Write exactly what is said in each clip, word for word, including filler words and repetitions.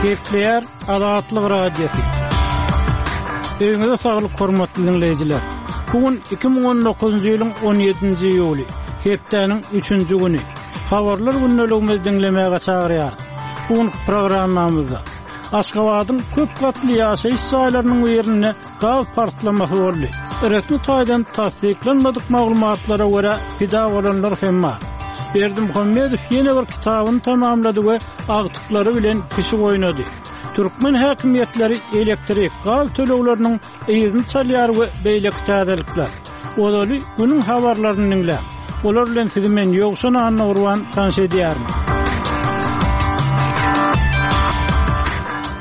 Gepleýär Azatlyk Radiosy. Öýüňize saglyk hormatly diňleýjiler. Bu gün iki müň on dokuzynjy ýylyň on ýedinji iýuly, hepdäniň üçünji güni. Habarlar gündeligimizi diňlemäge çagyrýarys. Bu günki programmamyzda Aşgabadyň köp gatly ýaşaýyş jaýlarynyň birinde gaz partlamasy boldy. Resmi taýdan tassyklanmadyk maglumatlara görä pida bolanlar hem bar. Berdimuhamedow ýene bir kitabyny tamamlady we agtyklary bilen pişik oýnady. Türkmen häkimiýetleri elektrik, gaz tölegleriniň yzyny çalýar we beýleki täzelikler. Ozaly günüň habarlaryny diňläň. Olar bilen sizi men Ýowşan Annagurban tanyş edýärin.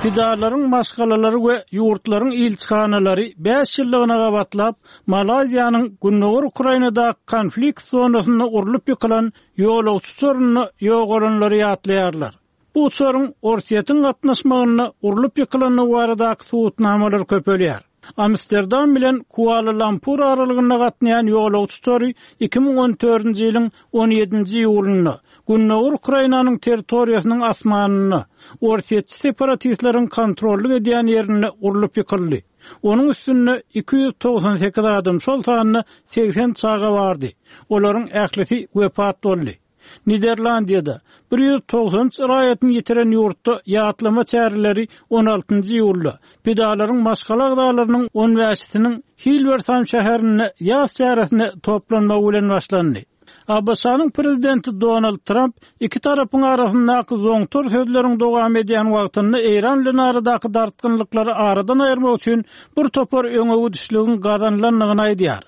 Pidalaryň maşgalalary we ýurtlaryň ilçihanalary bäş ýyllygyna gabatlap, Malaýziýanyň Gündogar Ukrainadaky konflikt zonasynda urlup ýykylan ýolagçy uçarynda ýogalanlary ýatlaýarlar. Bu uçaryň Orsýetiň gatnaşmagynda urlup ýykylandygy baradaky subutnamalar köpelýär. Amsterdam bilen Kuala-Lumpur aralygynda gatnaýan ýolagçy uçary iki müň on dördünji ýylyň on ýedinji iýulynda Gündogar Ukrainanyň territoriýasynyň asmanynda Orsýetçi separatistleriň kontrollyk edýän ýerinde urlup ýykyldy. Onuň üstünde iki ýüz togsan sekiz adam, şol sanda segsen çaga bardy. Olaryň ählisi wepat boldy. Niderlandiýada bir ýüz togsan üç raýatyny ýitiren ýurtda ýatlama çäreleri on altynjy iýulda pidalaryň maşgala agzalarynyň on bäşisiniň Hilversam şäherinde ýas çäresine toplanmagy bilen başlandy. A B Ş-nyň prezidenti Donald Trump iki tarapyň arasyndaky zoňtar sözleriň dowam edýän wagtynda Eýran bilen aradaky dartgynlyklary aradan aýyrmak üçin bir topar öňegidişligiň gazanylandygyny aýdýar.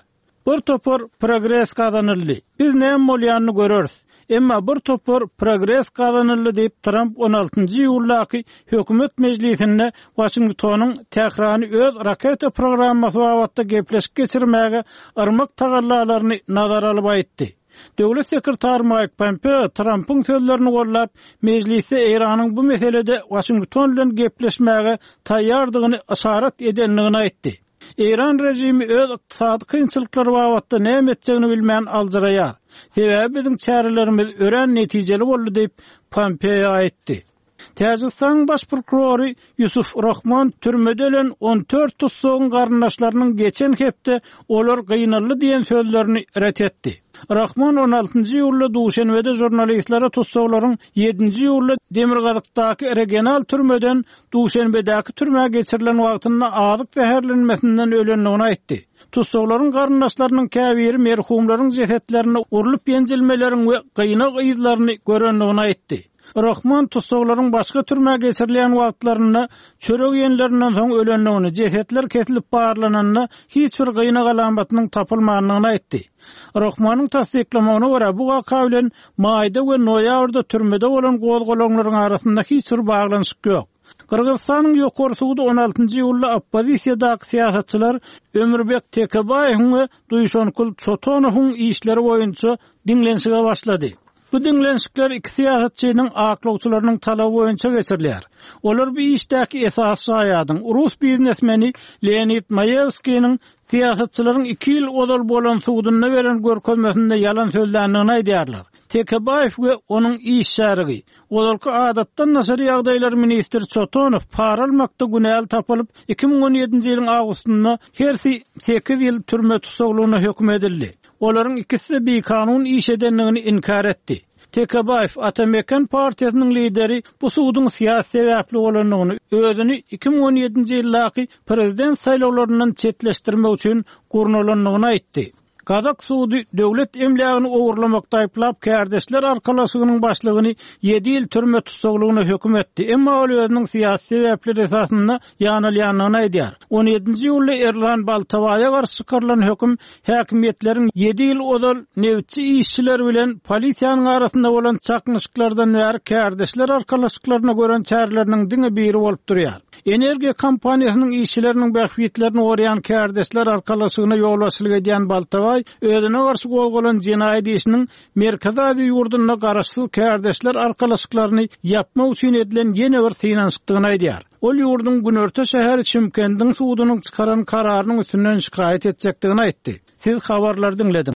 Bir topar progres gazanyldy. Biz näme bolýanyny göreris. Emma bir topar progres gazanyldy diýip Trump on altynjy iýuldaky hökümet mejlisinde Washingtonyň Tährany öz raketa programmasy babatda gepleşik geçirmäge yrmak tagallalaryny nazara alyp aýtdy. Döwlet sekretary Mike Pompeo Trumpyň sözlerini gollap, mejlisde Eýranyň bu meselede Washington bilen gepleşmäge taýýardygyny yşarat edendigini aýtdy. Eýran rejimi öz ykdysady kynçylyklary babatda näme etjegini bilmän aljyraýar. Sebäbi biziň çärelerimiz örän netijeli boldy diýip Pompeo aýtdy. Täjikistanyň baş prokurory Yusuf Rahman türmede ölen on dört tutsagyň garyndaşlarynyň geçen hepde olar gynaldy diýen sözlerini ret etdi. Rahman on altynjy iýulda Duşenbede jurnalistlere tutsaglaryň ýedinji iýulda Demirgazykdaky regional türmeden Duşenbedäki türmä geçirilen wagtynda azyk zäherlenmesinden ölendigini aýtdy. Tutsaglaryň garyndaşlarynyň käbiri merhumlaryň jesetlerini urlup ýenjilmeleriň we gynag yzlaryny görendigini aýtdy. Rahman tutsaglaryň başga türmä geçirilen wagtlarynda çörek ýenlerinden soň ölendigini, jesetler kesilip barlananda hiç bir gynag alamatynyň tapylmandygyny aýtdy. Rahmanyň tassyklamagyna görä bu waka bilen maýda we noýabrda türmede bolan gozgalaňlaryň arasynda hiç bir baglanyşyk ýok. Gyrgyzystanyň ýokary sudy on altynjy iýulda oppozisiýadaky syýasatçylar Ömürbek Tekebaýewiň we Duýşankul Çotonowyň işleri boýunça diňlenişige başlady. Bu diňlenişikler iki syýasatçynyň aklawçylarynyň talaby boýunça geçirilýär. Olar bu işdäki esas şaýadyň rus biznesmeni Leonid Maýewskiniň syýasatçylaryň iki ýyl ozal bolan sudunda beren görkezmesinde ýalan sözländigini aýdýarlar. Tekebaýew we onuň iş şärigi, ozalky adatdan daşary ýagdaýlar ministri Çotonow para almakda günäli tapylyp, iki müň on ýedinji ýylyň awgustynda hersi sekiz ýyl türme tussaglygyna höküm edildi. Olaryň ikisi bikanun iş edendigini inkar etdi. Tekebaýew Atamekan partiýasynyň lideri bu suduň syýasy sebäpli bolandygyny, özüni iki müň on ýedinji ýyldaky prezident saýlawlaryndan çetleşdirmek üçin gurnalandygyny aýtdy. Gazak sudy döwlet emlägini ogurlamakda aýyplap kärdeşler arkalaşygynyň başlygyny ýedi ýyl türme tussaglygyna höküm etdi. Emma ol özüniň syýasy sebäpleri esasynda ýanalýandygyny aýdýar. On ýedinji iýulda Erlan Baltabaýa garşy çykarylan höküm häkimiýetleriň ýedi ýyl ozal nebitçi işçiler bilen polisiýanyň arasynda bolan çaknyşyklardan bäri kärdeşler arkalaşyklaryna gören çäreleriniň diňe biri bolup durýar. Energiýa kompaniýasynyň işçileriniň bähbitlerini goraýan kärdeşler arkalaşygyna ýolbaşçylyk edýän Baltabaý özüne garşy gozgalan jenaýat işiniň Merkezi Aziýa ýurdunda garaşsyz kärdeşler arkalaşyklaryny ýapmak üçin edilen ýene bir synanyşykdygyny aýdýar. Ol ýurduň günorta şäheri Çimkendiň sudunyň çykaran kararynyň üstünden şikaýat etjekdigini aýtdy. Siz habarlary diňlediňiz.